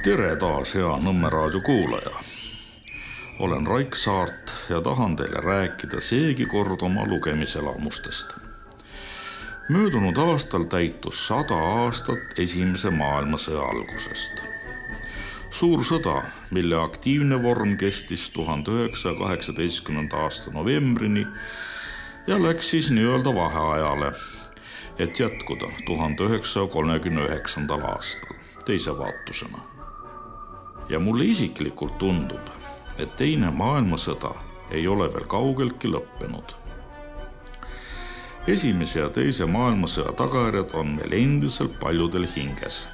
Tere taas, hea Nõmme raadio kuulaja. Olen Raik Saart ja tahan teile rääkida seegi kord oma lugemiselamustest. Möödunud aastal täitus 100 aastat Esimese maailmasõja algusest. Suur sõda, mille aktiivne vorm kestis 1918. aasta novembrini ja läks siis nii-öelda vaheajale, et jätkuda 1939. aastal teise vaatusena. Ja mulle isiklikult tundub, et teine maailmasõda ei ole veel kaugeltki lõppenud. Esimese ja teise maailmasõja tagajärjed on meil endiselt paljudel hinges.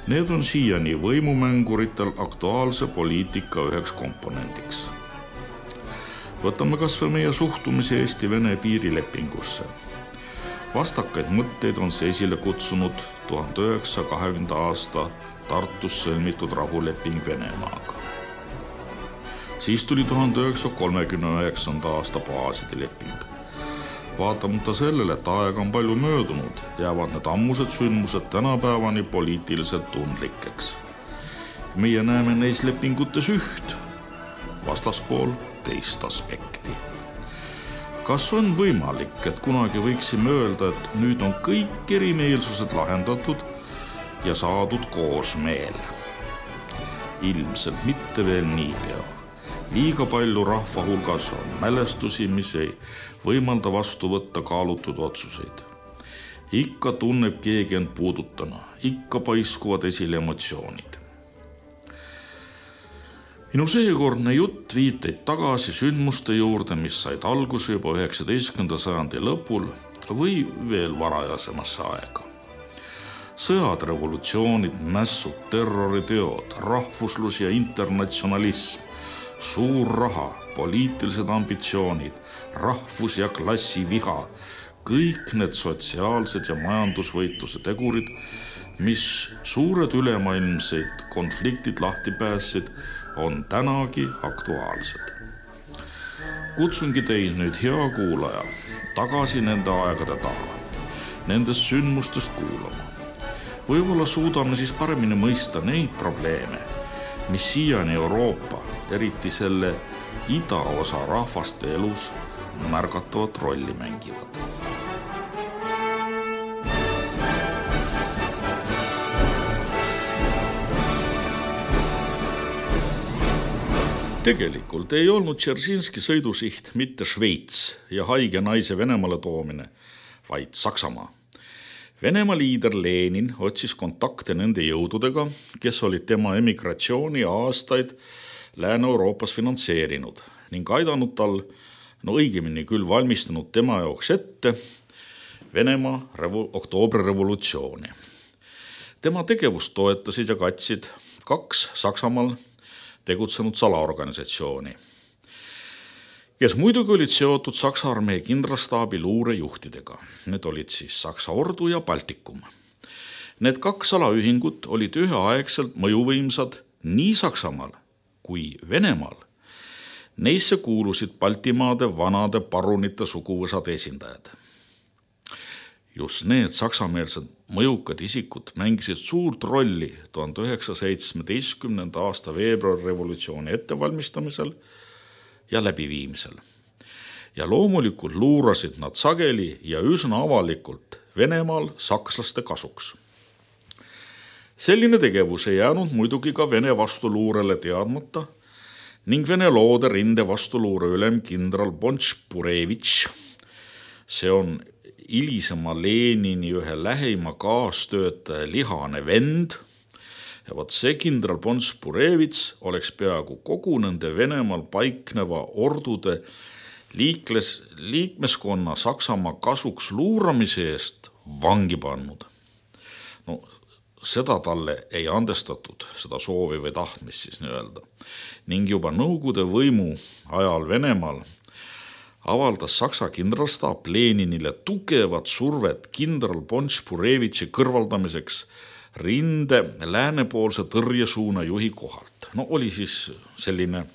Need on siiani võimumänguritel aktuaalse poliitika üheks komponendiks. Võtame kas või meie suhtumise Eesti-Vene piirilepingusse. Vastakaid mõtteid on see esile kutsunud 1920. aasta Tartus sõlmitud rahuleping Venemaaga. Siis tuli 1939. aasta baaside leping. Vaatamata sellele, et aega on palju möödunud, jäävad need ammused sündmused tänapäevani poliitiliselt tundlikeks. Meie näeme neis lepingutes üht, vastaspool teist aspekti. Kas on võimalik, et kunagi võiksime öelda, et nüüd on kõik erimeelsused lahendatud ja saadud koosmeel? Ilmselt mitte veel niipea. Liiga palju rahva hulgas on mälestusi, mis ei võimalda vastu võtta kaalutud otsuseid. Ikka tunneb keegi end puudutana, ikka paiskuvad esile emotsioonid. Minu seekordne jutt viiteid tagasi sündmuste juurde, mis said alguse juba 19. sajandi lõpul või veel varajasemasse aega. Sõjad, revolutsioonid, mässud, terroriteod, rahvuslus ja internatsionalism, suur raha, poliitilised ambitsioonid, rahvus- ja klassiviha, kõik need sotsiaalsed ja majandusvõitluse tegurid, mis suured ülemaailmseid konfliktid lahti päässid, on tänagi aktuaalsed. Kutsungi teid nüüd, hea kuulaja, tagasi nende aegade taha, nendest sündmustest kuulama. Võib-olla suudame siis paremini mõista neid probleeme, mis siiani Euroopa, eriti selle idaosa rahvaste elus märgatavat rolli mängivad. Tegelikult ei olnud Dzeržinski sõidusiht mitte Šveits ja haige naise Venemaale toomine, vaid Saksamaa. Venemaa liider Lenin otsis kontakte nende jõududega, kes olid tema emigratsiooni aastaid Lääne-Euroopas finantseerinud ning aidanud tal, õigemini küll valmistanud tema jaoks ette Venemaa oktoobrirevolutsiooni. Tema tegevust toetasid ja katsid 2 Saksamaal tegutsenud salaorganisatsiooni, kes muidugi olid seotud Saksa armee kindralstaabi luurejuhtidega. Need olid siis Saksa ordu ja Baltikum. Need 2 salaühingut olid üheaegselt mõjuvõimsad nii Saksamaal kui Venemaal. Neisse kuulusid Baltimaade vanade parunite suguvõsad esindajad. Just need saksameelsed mõjukad isikud mängisid suurt rolli 1917. aasta veebruarirevolutsiooni ettevalmistamisel ja läbiviimisel. Ja loomulikult luurasid nad sageli ja üsna avalikult Venemaal sakslaste kasuks. Selline tegevus ei jäänud muidugi ka Vene vastuluurele teadmata ning Vene loode rinde vastuluure ülem kindral Bonš-Purevitš, see on hilisema Lenini ühe lähima kaastöötaja lihane vend, ja vot see kindral Bonš-Purevitš oleks peaaegu kogu nende Venemaal paikneva ordude liikmeskonna Saksamaa kasuks luuramise eest vangi pannud. Seda talle ei andestatud, seda soovi või tahtmist siis nii-öelda. Ning juba Nõukogude võimu ajal Venemaal avaldas Saksa kindralstaap Leninile tugevat survet kindral Bonš-Purevitši kõrvaldamiseks rinde läänepoolse tõrjesuuna juhi kohalt. Oli siis selline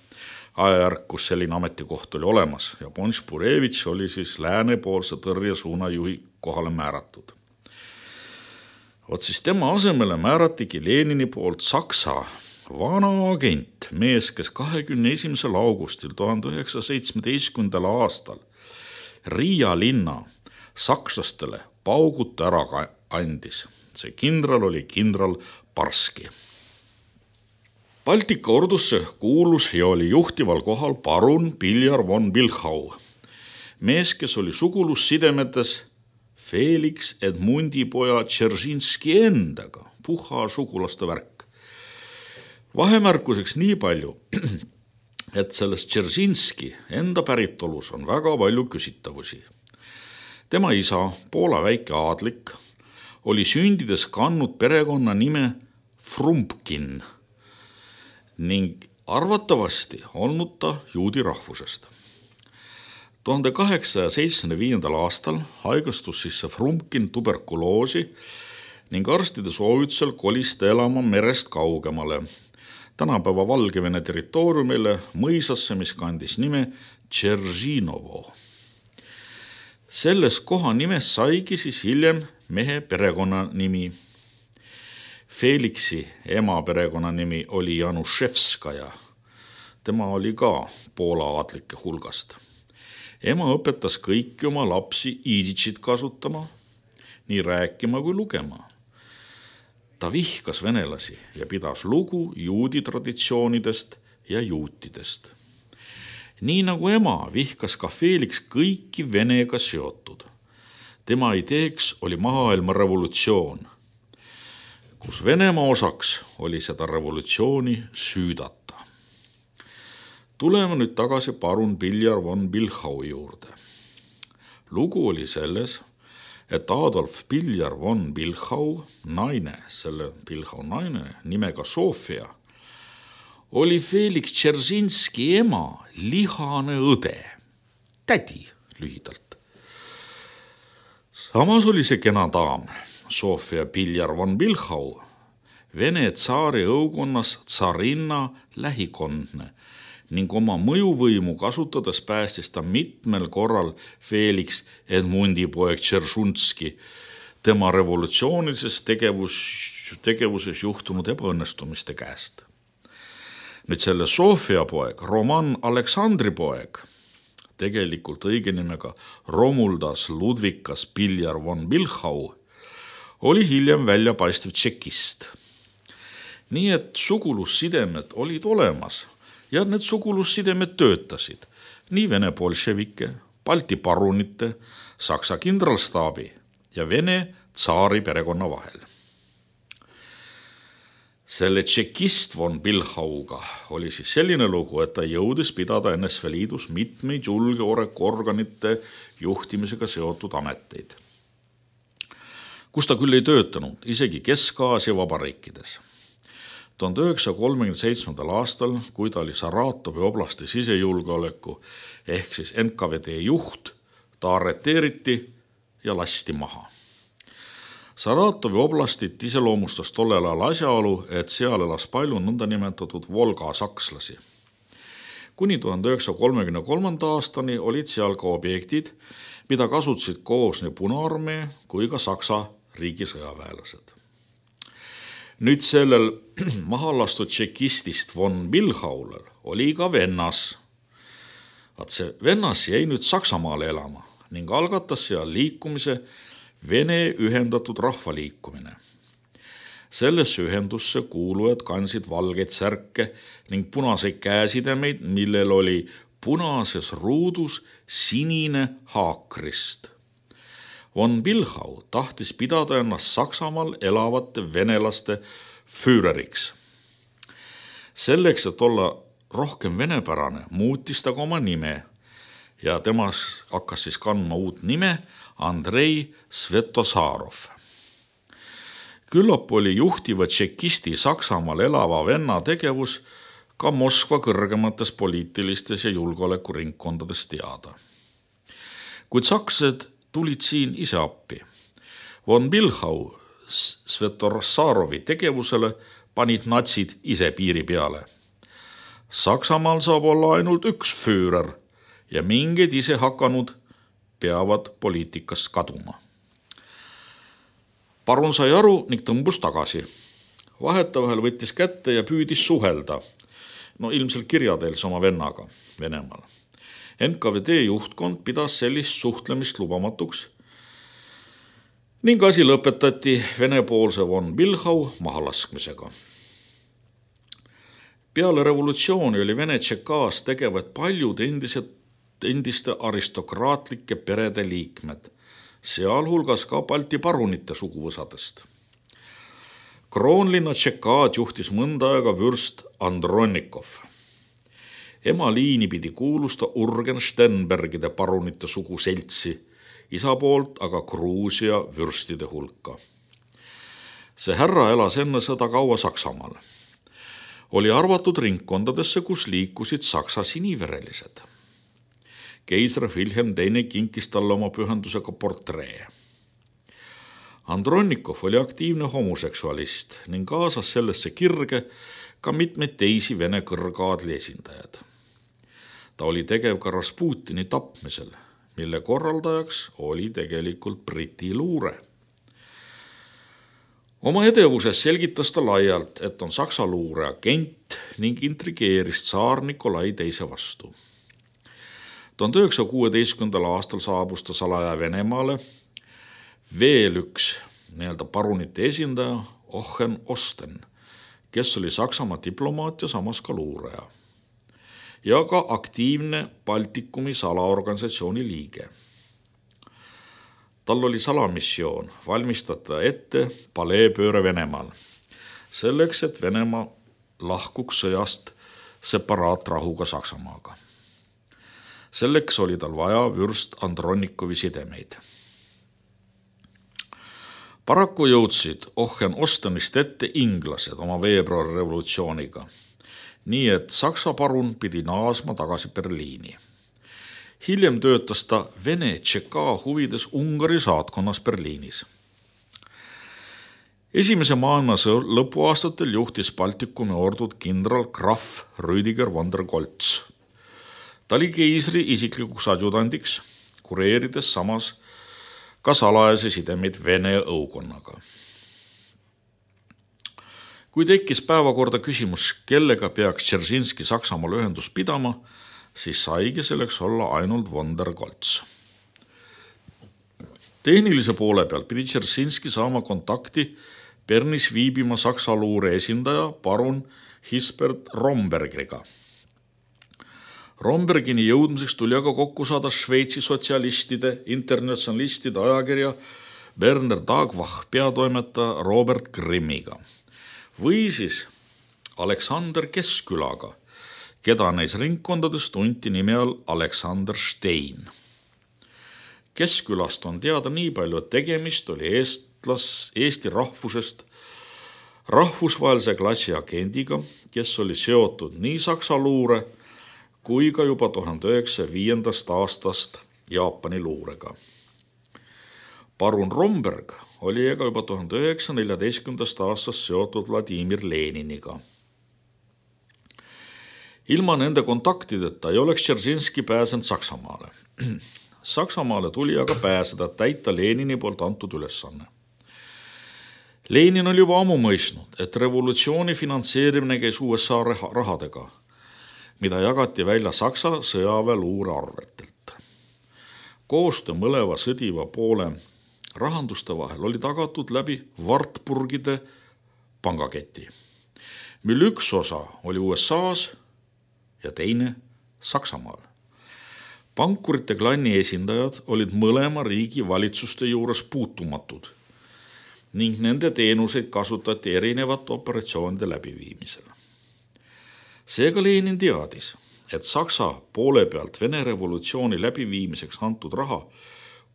ajajärk, kus selline ametikoht oli olemas ja Bonš-Purevitš oli siis läänepoolse tõrjesuuna juhi kohale määratud. Vot siis tema asemele määratigi Lenini poolt Saksa vana agent, mees, kes 21. augustil 1917. aastal Riia linna sakslastele pauguta ära andis. See kindral oli kindral Barski. Baltika ordusse kuulus ja oli juhtival kohal parun Piljar von Bilchau, mees, kes oli sugulussidemetes Felix Edmundi poja Dzeržinski endaga, puha sugulaste värk. Vahemärkuseks nii palju, et sellest Dzeržinski enda päritolus on väga palju küsitavusi. Tema isa, Poola väike aadlik, oli sündides kandnud perekonna nime Frumpkin ning arvatavasti olnud ta juudi rahvusest. 1875. aastal haigestus sisse Frumpkin tuberkuloosi ning arstide soovitusel kolis ta elama merest kaugemale, tänapäeva Valgevene territooriumile mõisasse, mis kandis nime Dzeržinovo. Selles koha nimes saigi siis hiljem mehe perekonnanimi. Felixi ema perekonnanimi oli Januszewskaja. Tema oli ka Poola aadlike hulgast. Ema õpetas kõiki oma lapsi iiditšit kasutama, nii rääkima kui lugema. Ta vihkas venelasi ja pidas lugu juudi traditsioonidest ja juutidest. Nii nagu ema vihkas ka Felix kõiki Venega seotud. Tema ideeks oli maailma revolutsioon, kus Venemaa osaks oli seda revolutsiooni süüdata. Tuleme nüüd tagasi parun Piljar von Bilchau juurde. Lugu oli selles, et Adolf Piljar von Bilchau naine, selle Bilchau naine nimega Sofia, oli Felix Dzeržinski ema lihane õde, tädi lühidalt. Samas oli see kena daam, Sofia Piljar von Bilchau, Vene tsaari õukonnas tsarinna lähikondne ning oma mõjuvõimu kasutades päästis ta mitmel korral Felix Edmundi poeg Dzeržinski tema revolutsioonilises tegevuses juhtunud ebaõnnestumiste käest. Nüüd selle Sofia poeg, Roman Aleksandri poeg, tegelikult õige nimega Romuldas Ludvikas Piljar von Bilchau, oli hiljem väljapaistev tšekist. Nii et sugulussidemed olid olemas ja need sugulussidemed töötasid nii Vene bolševike, Balti parunite, Saksa kindralstaabi ja Vene tsaari perekonna vahel. Selle tšekist von Bilchauga oli siis selline lugu, et ta jõudis pidada NSV Liidus mitmeid julgeolekuorganite juhtimisega seotud ameteid, kus ta küll ei töötanud, isegi Kesk-Aasia vabariikides. 1937. aastal, kui ta oli Saratovi oblasti sisejulgeoleku ehk siis NKVD juht, ta arreteeriti ja lasti maha. Saratovi oblastit iseloomustas tollel ajal asjaolu, et seal elas palju nõndanimetatud Volga sakslasi. Kuni 1933. aastani olid seal ka objektid, mida kasutasid koos nii Punaarmee kui ka Saksa riigisõjaväelased. Nüüd sellel mahalastud tšekistist von Bilchaulel oli ka vennas. Vaat see vennas jäi nüüd Saksamaale elama ning algatas seal liikumise Vene ühendatud rahvaliikumine. Sellesse ühendusse kuulujad kandsid valgeid särke ning punaseid käesidemeid, millel oli punases ruudus sinine haakrist. Von Bilchau tahtis pidada ennast Saksamaal elavate venelaste füüreriks. Selleks, et olla rohkem venepärane, muutis ta ka oma nime ja temas hakkas siis kandma uut nime Andrei Svetosarov. Küllap oli juhtiva tšekisti Saksamaal elava venna tegevus ka Moskva kõrgemates poliitilistes ja julgeolekuringkondades teada. Kuid sakslased tulid siin ise appi. Von Bilchau Svetosarovi tegevusele panid natsid ise piiri peale. Saksamaal saab olla ainult üks füürer ja mingid ise hakanud peavad poliitikast kaduma. Parun sai aru ning tõmbus tagasi. Vahetevahel võttis kätte ja püüdis suhelda, ilmselt kirjateels oma vennaga Venemaal. NKVD juhtkond pidas sellist suhtlemist lubamatuks ning asi lõpetati venepoolse von Bilhau mahalaskmisega. Peale revolutsiooni oli Vene Tšekaas tegevad paljud endiste aristokraatlike perede liikmed, sealhulgas ka Balti parunite suguvõsadest. Kroonlinna Tšekaad juhtis mõnda aega vürst Andronikov. Ema liini pidi kuulusta Urgen Stenbergide parunite suguseltsi, isa poolt aga Gruusia vürstide hulka. See härra elas enne sõda kaua Saksamaal. Oli arvatud ringkondadesse, kus liikusid Saksa siniverelised. Keisar Wilhelm II kinkis talle oma pühendusega portree. Andronikov oli aktiivne homoseksualist ning kaasas sellesse kirge ka mitmeid teisi Vene kõrgaadli esindajad. Ta oli tegev ka Rasputini tapmisel, mille korraldajaks oli tegelikult Briti luure. Oma edevuses selgitas ta laialt, et on Saksa luure agent ning intrigeeris tsaar Nikolai II vastu. 1916. aastal saabus ta salaja Venemaale veel üks parunite esindaja Ochen Osten, kes oli Saksamaa diplomaat ja samas ka luuraja ja ka aktiivne Baltikumi salaorganisatsiooni liige. Tal oli salamissioon valmistada ette paleepööre Venemaal, selleks, et Venemaa lahkuks sõjast separaatrahuga Saksamaaga. Selleks oli tal vaja vürst Andronikovi sidemeid. Paraku jõudsid Ochen Ostenist ette inglased oma veebruarirevolutsiooniga, nii et Saksa parun pidi naasma tagasi Berliini. Hiljem töötas ta Vene Tšeka huvides Ungari saatkonnas Berliinis. Esimese maailmasõja lõpuaastatel juhtis Baltikumi ordud kindral Graf Rüdiger von der Goltz. Ta oli keisri isiklikuks adjutandiks, kureerides samas ka salajase sidemeid Vene õukonnaga. Kui tekkis päevakorda küsimus, kellega peaks Dzeržinski Saksamaal ühendus pidama, siis saigi selleks olla ainult von der Goltz. Tehnilise poole peal pidi Dzeržinski saama kontakti Bernis viibima Saksa luure esindaja parun Hisbert Rombergiga. Rombergini jõudmiseks tuli aga kokku saada Šveitsi sotsialistide, internatsionalistide ajakirja Berner Tagvach peatoimetaja Robert Grimmiga või siis Aleksander Keskkülaga, keda neis ringkondades tunti nime all Aleksander Stein. Keskkülast on teada nii palju, et tegemist oli Eesti rahvusest rahvusvahelise klassi agendiga, kes oli seotud nii Saksa luure kui ka juba 1905. aastast Jaapani luurega. Parun Romberg oli aga juba 1914. aastast seotud Vladimir Leniniga. Ilma nende kontaktideta ei oleks Dzeržinski pääsenud Saksamaale. Saksamaale tuli aga pääseda täita Lenini poolt antud ülesanne. Lenin oli juba ammu mõistnud, et revolutsiooni finantseerimine käis USA rahadega, mida jagati välja Saksa sõjaväeluure arvetelt. Koostöö mõleva sõdiva poole rahanduste vahel oli tagatud läbi Wartburgide pangaketi, mille üks osa oli USA-s ja teine Saksamaal. Pankurite klanni esindajad olid mõlema riigi valitsuste juures puutumatud ning nende teenuseid kasutati erinevate operatsioonide läbiviimisel. Seega Lenin teadis, et Saksa poole pealt Vene revolutsiooni läbiviimiseks antud raha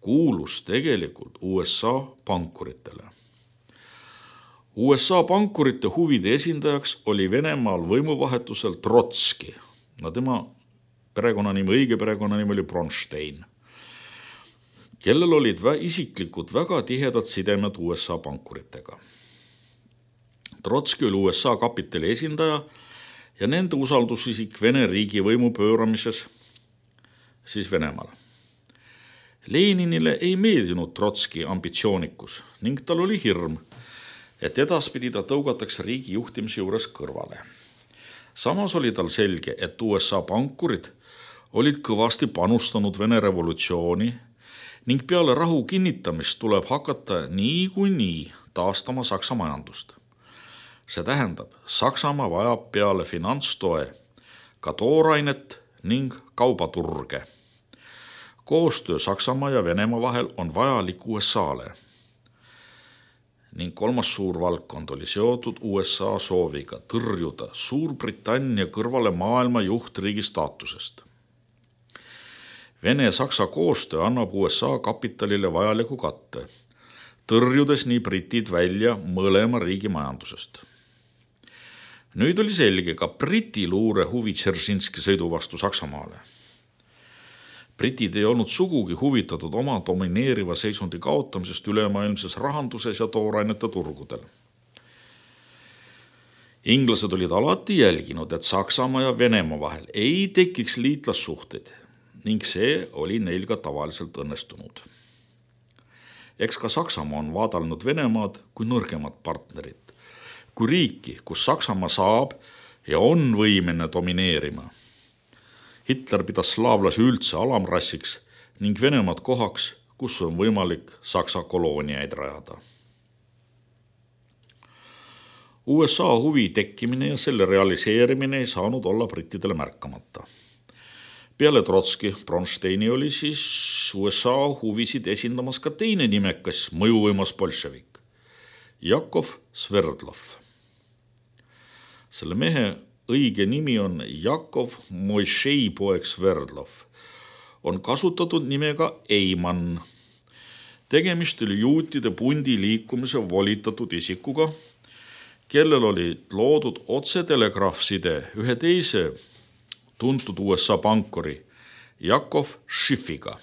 kuulus tegelikult USA pankuritele. USA pankurite huvide esindajaks oli Venemaal võimuvahetusel Trotski. Tema õige perekonnanimi oli Bronstein, kellel olid isiklikud väga tihedad sidemed USA pankuritega. Trotski oli USA kapitali esindaja ja nende usaldusisik Vene riigi võimu pööramises siis Venemaal. Leninile ei meeldinud Trotski ambitsioonikus ning tal oli hirm, et edaspidi ta tõugatakse riigi juhtimise juures kõrvale. Samas oli tal selge, et USA pankurid olid kõvasti panustanud Vene revolutsiooni ning peale rahu kinnitamist tuleb hakata niikuinii taastama Saksa majandust. See tähendab, Saksamaa vajab peale finantstoe ka toorainet ning kaubaturge. Koostöö Saksamaa ja Venemaa vahel on vajalik USA-le. Ning kolmas suur valdkond oli seotud USA sooviga tõrjuda Suurbritannia kõrvale maailma juhtriigi staatusest. Vene-Saksa koostöö annab USA kapitalile vajaliku katte, tõrjudes nii britid välja mõlema riigi majandusest. Nüüd oli selge ka Briti luure huvi Dzeržinski sõidu vastu Saksamaale. Britid ei olnud sugugi huvitatud oma domineeriva seisundi kaotamisest ülemaailmses rahanduses ja toorainete turgudel. Inglased olid alati jälginud, et Saksamaa ja Venemaa vahel ei tekiks liitlassuhteid ning see oli neil ka tavaliselt õnnestunud. Eks ka Saksamaa on vaadelnud Venemaad kui nõrgemat partnerit, kui riiki, kus Saksamaa saab ja on võimene domineerima. Hitler pidas slaavlasi üldse alamrassiks ning Venemaad kohaks, kus on võimalik Saksa kolooniaid rajada. USA huvi tekkimine ja selle realiseerimine ei saanud olla brittidele märkamata. Peale Trotski Bronsteini oli siis USA huvisid esindamas ka teine nimekas mõjuvõimas bolševik, Jakov Sverdlov. Selle mehe õige nimi on Jakov Moisei poeg Sverdlov. On kasutatud nimega Eiman. Tegemist oli juutide pundi liikumise volitatud isikuga, kellel oli loodud otsetelegraafside ühe teise tuntud USA pankuri Jakov Schiffiga.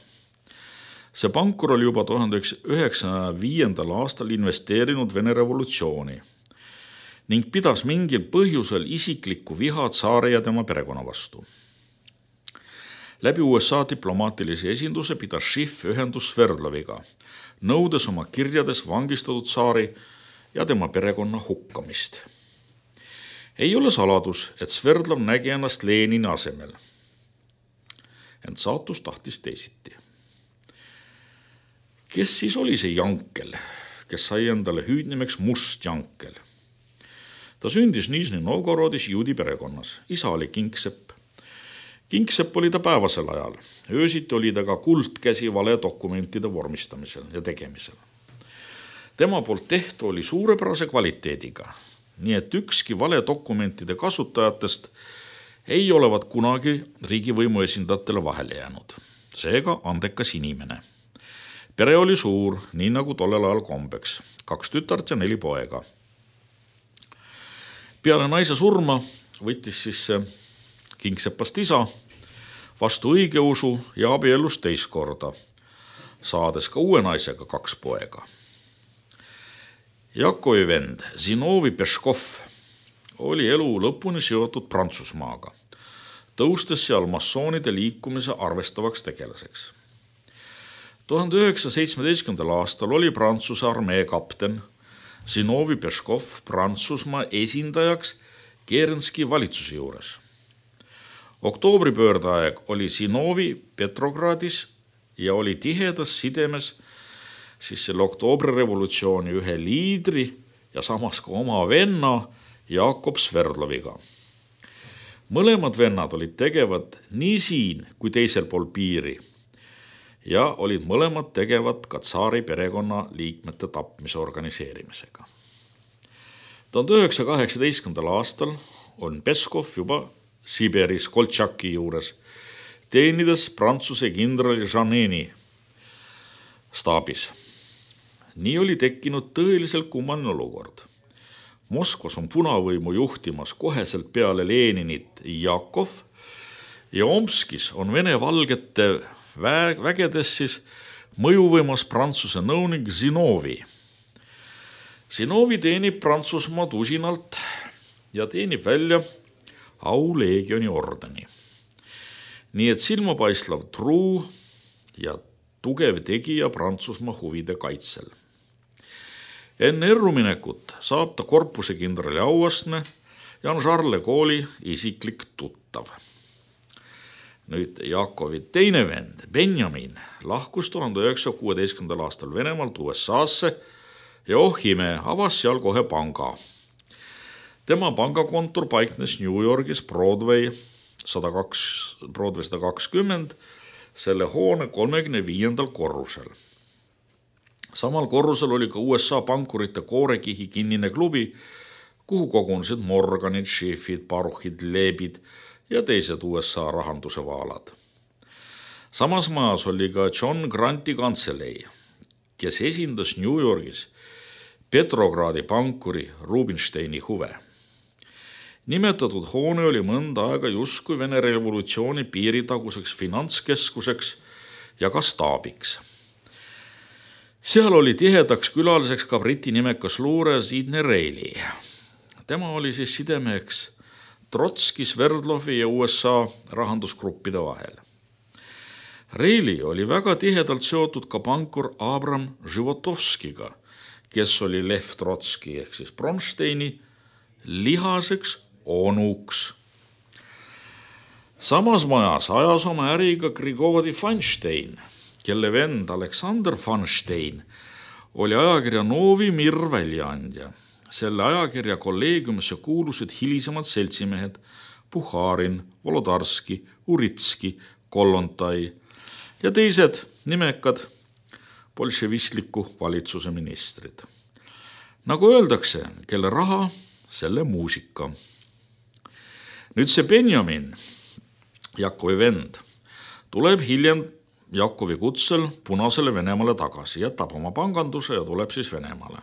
See pankur oli juba 1995. aastal investeerinud Vene revolutsiooni ning pidas mingil põhjusel isiklikku viha tsaari ja tema perekonna vastu. Läbi USA diplomaatilise esinduse pidas Schiff ühendus Sverdloviga, nõudes oma kirjades vangistatud tsaari ja tema perekonna hukkamist. Ei ole saladus, et Sverdlov nägi ennast Lenini asemel. Ent saatus tahtis teisiti. Kes siis oli see Jankel, kes sai endale hüüdnimeks Must Jankel? Ta sündis Nižni Novgorodis juudi perekonnas. Isa oli Kingsepp. Kingsepp oli ta päevasel ajal. Öösiti oli ta ka kuldkäsi valedokumentide vormistamisel ja tegemisel. Tema poolt tehtu oli suurepärase kvaliteediga. Nii et ükski valedokumentide kasutajatest ei olevat kunagi riigivõimu esindajatele vahele jäänud. Seega andekas inimene. Pere oli suur, nii nagu tollel ajal kombeks. 2 tütart ja 4 poega. Peale naise surma võttis siis Kingsepast isa vastu õigeusu ja abiellus teist korda, saades ka uue naisega 2 poega. Jakovi vend Zinovi Peškov oli elu lõpuni seotud Prantsusmaaga, tõustes seal massoonide liikumise arvestavaks tegelaseks. 1917. aastal oli Prantsuse armee kapten Zinovi Peškov Prantsusmaa esindajaks Kerenski valitsuse juures. Oktoobripöördeaeg oli Zinovi Petrogradis ja oli tihedas sidemes siis selle oktoobrirevolutsiooni ühe liidri ja samas ka oma venna Jakob Sverdloviga. Mõlemad vennad olid tegevad nii siin kui teisel pool piiri ja olid mõlemad tegevad ka tsaari perekonna liikmete tapmise organiseerimisega. 1918. aastal on Peskov juba Siberis Koltšaki juures, teenides Prantsuse kindrali Jeaneni staabis. Nii oli tekkinud tõeliselt kummaline olukord. Moskvas on punavõimu juhtimas koheselt peale Leninit Jakov ja Omskis on Vene valgete vägedes siis mõjuvõimas Prantsuse nõunik Zinovi. Zinovi teenib Prantsusmaad usinalt ja teenib välja auleegioni ordeni. Nii et silmapaislav truu ja tugev tegija Prantsusmaa huvide kaitsel. Enne erruminekut saab ta korpusekindrali auastme ja on Charles de Gaulle'i isiklik tuttav. Nüüd Jakovi teine vend, Benjamin, lahkus 1916. aastal Venemaalt USA-sse ja ime, avas seal kohe panga. Tema pangakontor paiknes New Yorgis Broadway 120, selle hoone 35. korrusel. Samal korrusel oli ka USA pankurite koorekihi kinnine klubi, kuhu kogunesid Morganid, Schiffid, Baruchid, Leebid ja teised USA rahanduse vaalad. Samas majas oli ka John Granti kantselei, kes esindas New Yorgis Petrogradi pankuri Rubinsteini huve. Nimetatud hoone oli mõnda aega justkui Vene revolutsiooni piiritaguseks finantskeskuseks ja ka staabiks. Seal oli tihedaks külaliseks ka briti nimekas luure Sidney Reilly. Tema oli siis sidemeheks Trotski, Sverdlovi ja USA rahandusgruppide vahel. Reilly oli väga tihedalt seotud ka pankur Abram Životovskiga, kes oli Lev Trotski ehk siis Bronsteini lihaseks onuks. Samas majas ajas oma äriga Grigori Feinstein, kelle vend Aleksander Feinstein oli ajakirja Novi Mir väljaandja. Selle ajakirja kolleegiumisse kuulusid hilisemad seltsimehed Puharin, Volodarski, Uritski, Kollontai ja teised nimekad bolševistliku valitsuse ministrid. Nagu öeldakse, kelle raha, selle muusika. Nüüd see Benjamin, Jakovi vend, tuleb hiljem Jakovi kutsel Punasele Venemaale tagasi, jätab oma panganduse ja tuleb siis Venemaale.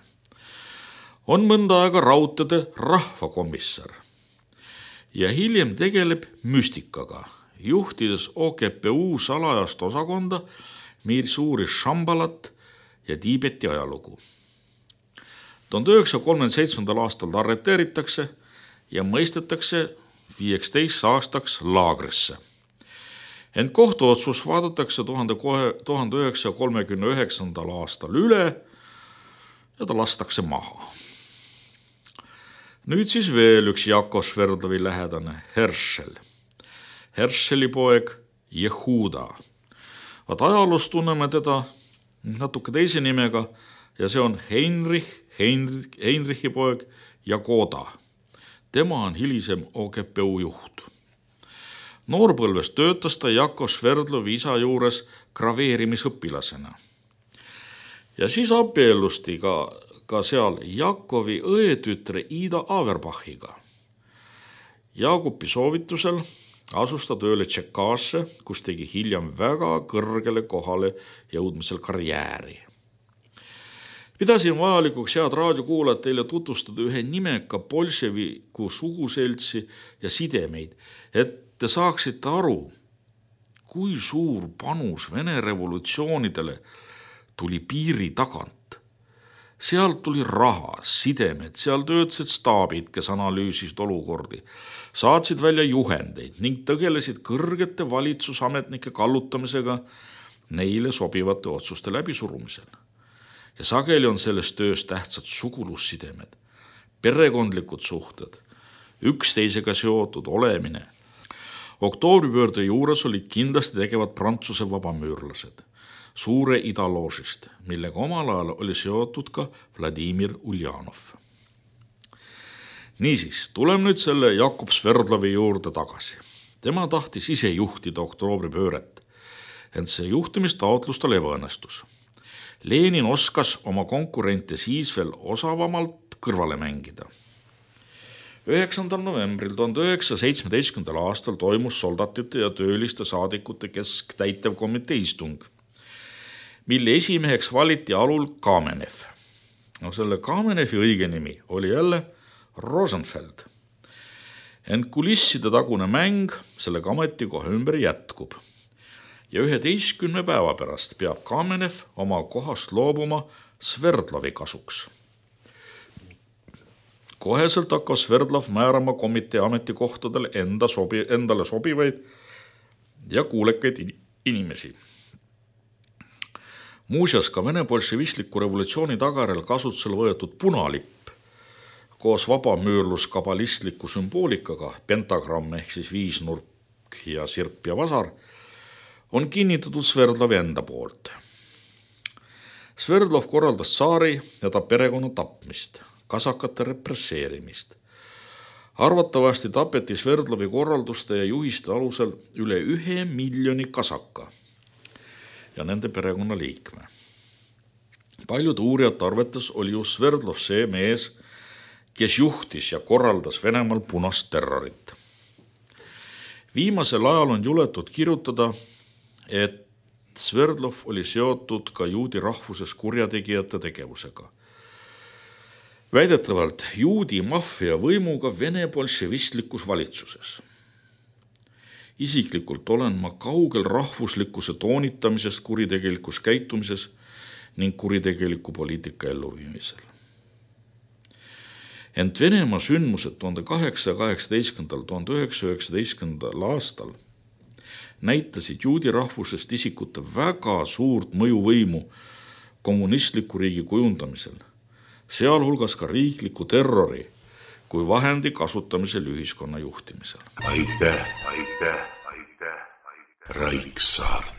On mõnda aega raudtede rahvakomissar ja hiljem tegeleb müstikaga, juhtides OKPU salajast osakonda, mis uuris Šambalat ja Tiibeti ajalugu. 1937. aastal ta arreteeritakse ja mõistetakse 15 aastaks laagrisse. Ent kohtuotsus vaadatakse 1939. aastal üle ja ta lastakse maha. Nüüd siis veel üks Jakov Sverdlovi lähedane, Herschel. Herscheli poeg Jehuda. Vaat ajaloos tunneme teda natuke teise nimega ja see on Heinrichi poeg Jagoda. Tema on hilisem OKPU juht. Noorpõlves töötas ta Jakov Sverdlovi isa juures graveerimisõpilasena. Ja siis abiellusti ka seal Jakovi õetütre Ida Averbachiga. Jaagupi soovitusel asus ta tööle Tšekaasse, kus tegi hiljem väga kõrgele kohale jõudmisel karjääri. Pidasin vajalikuks head raadiokuulajad teile tutvustada ühe nimeka bolševiku suguseltsi ja sidemeid, et te saaksite aru, kui suur panus Vene revolutsioonidele tuli piiri tagant. Sealt tuli raha, sidemed, seal töötasid staabid, kes analüüsisid olukordi, saatsid välja juhendeid ning tegelesid kõrgete valitsusametnike kallutamisega neile sobivate otsuste läbisurumisel. Ja sageli on selles töös tähtsad sugulussidemed, perekondlikud suhted, üksteisega seotud olemine. Oktoobripöörde juures olid kindlasti tegevad Prantsuse vabamüürlased suure idaloožist, millega omal ajal oli seotud ka Vladimir Uljanov. Niisiis, tulem nüüd selle Jakov Sverdlovi juurde tagasi. Tema tahtis ise juhtida oktoobripööret, ent see juhtimistaotlus tal ebaõnnestus. Lenin oskas oma konkurente siis veel osavamalt kõrvale mängida. 9. novembril 1917. aastal toimus soldatite ja tööliste saadikute kesktäitevkomitee istung, mille esimeheks valiti Alul Kamenev. Selle Kamenevi õige nimi oli jälle Rosenfeld. Ent kulisside tagune mäng selle ametikoha ümber jätkub. Ja 11 päeva pärast peab Kamenev oma kohast loobuma Sverdlovi kasuks. Koheselt hakkab Sverdlov määrama komitee ametikohtadele endale sobivaid ja kuulekaid inimesi. Muuseas ka Vene bolševistliku revolutsiooni tagajärjel kasutusele võetud punalipp koos vabamüürlus kabalistliku sümboolikaga, pentagramm ehk siis viisnurk ja sirp ja vasar, on kinnitatud Sverdlovi enda poolt. Sverdlov korraldas tsaari ja ta perekonna tapmist, kasakate represseerimist. Arvatavasti tapeti Sverdlovi korralduste ja juhiste alusel üle 1 miljoni kasaka ja nende perekonna liikme. Paljud uurijate arvates oli just Sverdlov see mees, kes juhtis ja korraldas Venemaal punast terrorit. Viimasel ajal on juletud kirjutada, et Sverdlov oli seotud ka juudi rahvuses kurjategijate tegevusega. Väidetavalt juudi maffia võimuga Vene bolševistlikus valitsuses. Isiklikult olen ma kaugel rahvuslikkuse toonitamisest kuritegelikus käitumises ning kuritegeliku poliitika elluviimisel. Ent Venemaa sündmused 1818–1919 aastal näitasid juudi rahvusest isikute väga suurt mõjuvõimu kommunistliku riigi kujundamisel, sealhulgas ka riikliku terrori kui vahendi kasutamisel ühiskonna juhtimisel. Aitäh, Raiksaart.